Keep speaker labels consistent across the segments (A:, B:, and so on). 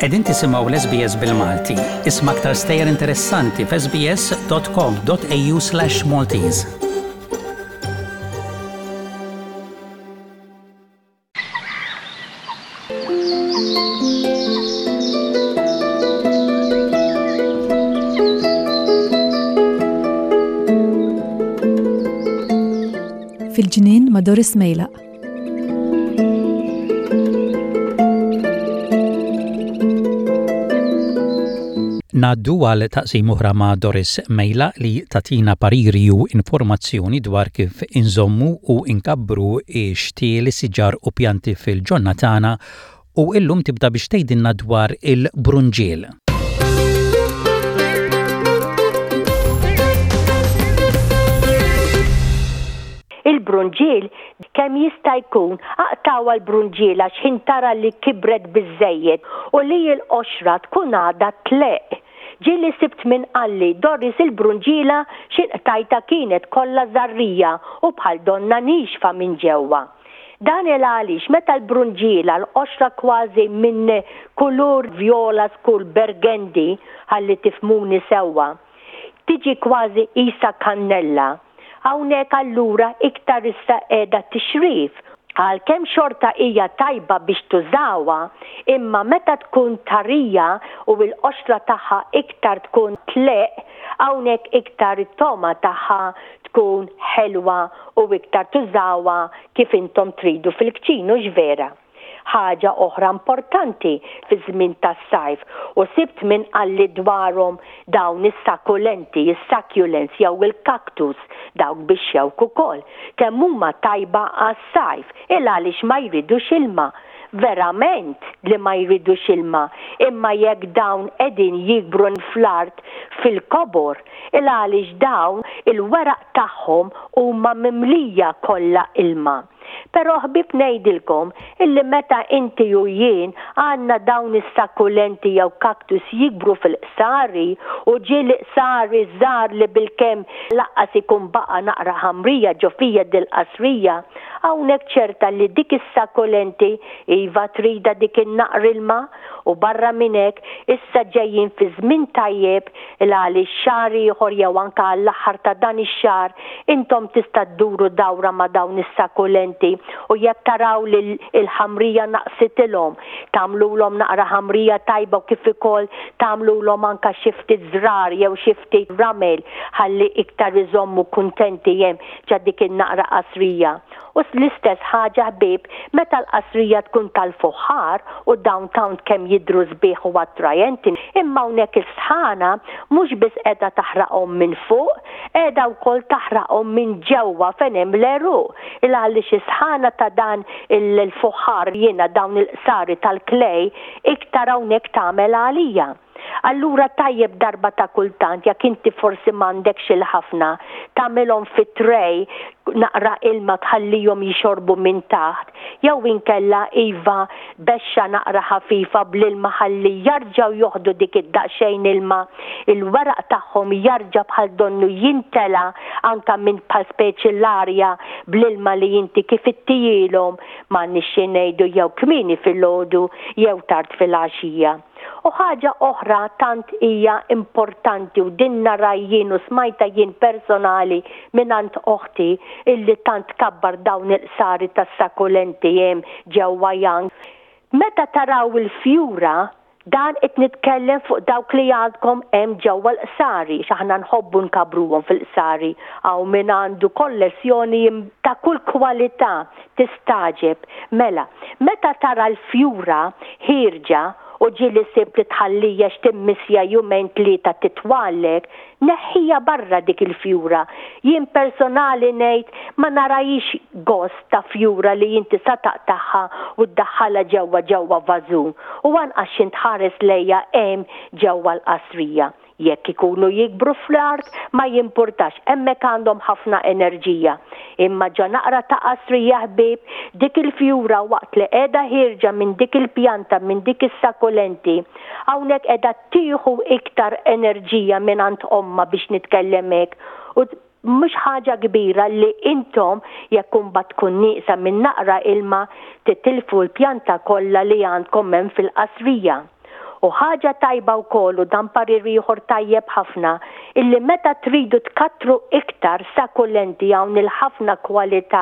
A: Qegħdin tisimgħu l-SBS bil-Malti. Isma' aktar stejjer interessanti f'sbs.com.au/Maltese.
B: Fil-ġnien ma' Doris Mejlaq.
A: Ngħaddu għal taqsim oħra ma' Doris Mejla li tatina pariri u informazzjoni dwar kif inżommu u nkabbru x-xtieli, siġar u pjanti fil-ġonna tagħna u illum tibda biex tgħidilna dwar il-brunġiel.
C: Il-brunġiel kemm jista' jkun aqtgħuha l-brunġiela x'ħin tara li kibret biżżejjed u li l-qoxra tkun għadha tleqq. Ġieli sibt min qalli, Doris il-brunġiela x'in qtajtha kienet kollha żarrija u bħal donnha niexfa minn ġewwa. Dan il għaliex meta l-brunġiela l-qoxra kważi minn kulur vjola skur burgundy ħalli tifhmuni sewwa, tiġi kważi qisha kannella. Hawnhekk allura iktar issa qiegħda tixrif. Għalkemm xorta hija tajba biex tużawha, imma meta tkun tarija u l-qoxra tagħha iktar tkun tleqq, hawnhekk iktar it-togħma tagħha tkun ħelwa u iktar tużawha kif intom tridu fil-kċin, hux vera? Ħaġa oħra importanti fiż-żmien tas-sajf u sibt min qalli dwarhom dawn is-sakulenti, is-succulents jew il-cactus, dawk bix-xewk ukoll, kemm huma tajba għas-sajf, il għaliex ma jridux ilma. Verament li ma jridux ilma, imma jekk dawn qegħdin jikbru fl-art fil-kobor, il għaliex dawn il-weraq tagħhom huma mimlija kollha ilma. Però ħbieb ngħidilkom illi meta inti u jien għandna dawn is-sakkulenti jew cactus jikbru fil-qsari u ġieli qsari żgħar li bilkemm laqqas ikun baqa' naqra ħamrija ġo fija dil-qasrija, hawnhekk ċerta li dik is-sakkulenti iva tridha dik in-naqra ilma u barra minn hekk issa ġejjin fi żmien tajjeb il għaliex xahar ieħor jew anke għall-aħħar ta' dan ix-xahar intom tista' dduru dawra ma' dawn is-sakulenti u jekk taraw li l-ħamrija naqsitilhom tagħmlulhom naqra ħamrija tajba u kif ukoll tagħmlulhom anke xi ftit żrar jew xi ftit ramel ħalli iktar iżommu kuntenti hemm ġa dik in-naqra qasrija. U l-istess ħaġa ħbieb meta l-qasrija tkun tal-fuħħar u dawn tant kemm jidhru sbieħ u attrajenti imma hawnhekk is-sħana mhux biss qiegħda taħraqhom minn fuq, qiegħda wkoll taħraqhom minn ġewwa fejn hemm l-għeruq il għaliex is-sħana ta' dan il-fuħħar jiena dawn il-qsari tal-clay iktar hawnhekk tagħmel għalija. Allura tajjeb darba ta' kultant jekk inti forsi m'għandekx il-ħafna, tagħmilhom fi tray naqra ilma tħallihom jixorbu minn taħt, jew inkella iva bexxa naqra ħafifa bl-ilma ħalli jarġgħu joħdu dik id-daqsxejn ilma, il-weraq tagħhom jarġa' bħal donnu jintela' anke minn bħal speċi l-arja bl-ilma li inti kif ittihielhom, m'għandniex xi ngħidu jew kmieni filgħodu jew tard filgħaxija. U ħaġa oħra tant hija importanti u din nara jien u smajtha jien personali mingħand oħti illi tant tkabbar dawn il-qsari tas-sakulenti hemm ġewwa Young. Meta taraw il-fjura, dan qed nitkellem fuq dawk li għandkom hemm ġewwa l-qsari, għax aħna nħobbu nkabbruhom fil-qsari, hawn min għandu kollezzjoni ta' kull kwalità tistagħġeb. Mela, meta tara l-fjura ħierġa u ġieli sibt li tħallija x'timmissja jumejn tlieta titwallek, neħħija barra dik il-fjura. Jien personali ngħid ma narahiex gost ta' fjura li inti sa taqtagħha u ddaħħalha ġewwa ġewwa vażun u anqas x'int tħares lejha hemm ġewwa l-qasrija. Jekk ikunu jikbru fl-art ma jimpurtax, hemmhekk għandhom ħafna enerġija. Imma ġo naqra ta' qasrija ħbieb, dik il-fjura waqt li qiegħda ħierġa minn dik il-pjanta, minn dik is-sakulenti, hawnhekk qiegħda tieħu iktar enerġija mingħand ommha biex nitkellem hekk u mhux ħaġa kbira li intom jekk imbagħad tkun nieqsa minn naqra ilma titilfu l-pjanta kollha li għandkom hemm fil-qasrija. U ħaġa tajba wkoll u dan parir ieħor tajjeb ħafna, illi meta tridu tkattru iktar sakulenti hawn il-ħafna kwalità,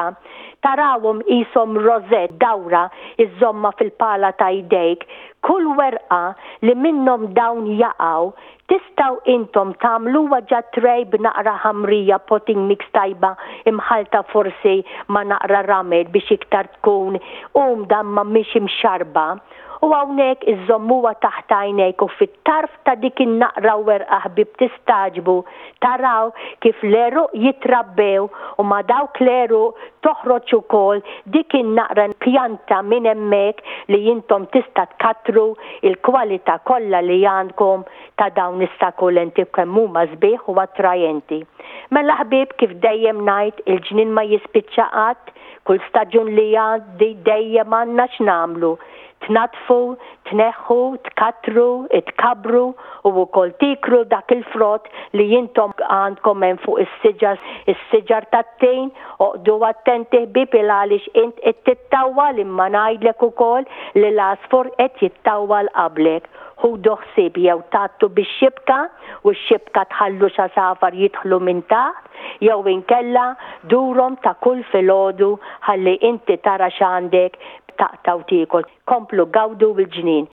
C: tarawhom qishom rosette dawra iżżommha fil-pala ta' jdejk, kull werqa li minnhom dawn jaqgħu, tistgħu intom tagħmluha ġa tray b'naqra ħamrija potting mix tajba imħallta forsi ma' naqra ramel biex iktar tkun umda imma mhix imxarrba. U hawnhekk iżżommuha taħt għajnejk u fit-tarf ta' dik in-naqra werqa ħbieb tistagħġbu taraw kif l-għeruq jitrabbew u ma' dawk l-għeruq toħroġ ukoll dik in-naqra pjanta minn hemmhekk li intom tista' tkattru il-kwalità kollha li għandkom ta' dawn is-sakulenti kemm huma sbieħ u attrajenti. Mela ħbieb kif dejjem ngħid il-ġnien ma jispiċċa qatt, Kull staġun li jgħaddi dejjem għandna x'nagħmlu, tnaddfu, tneħħu, tkattru, tkabbru u wkoll tieklu dak il-frott li intom għandkom hemm fuq is-siġar, is-siġar tat-tin. Oqgħdu attenti ħbieb il għaliex int qed tittawwal imma ngħidlek ukoll li l-għasfur qed jittawwal qablek. Ħudu ħsieb jew tgħattu bix-xibka u x-xibka tħallux għasafar jidħlu minn taħt jew inkella durhom ta' kull filgħodu ħalli inti tara x'għandek taqta' u tiekol. Komplu gawdu l-ġnien.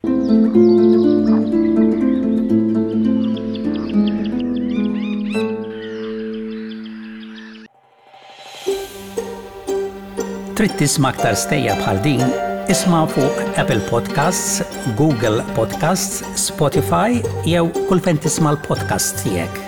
A: Trid tisma' aktar stejjer bħal din? Isma' fuq Apple Podcasts, Google Podcasts, Spotify jew kull fejn tisma' l-podcasts tiegħek.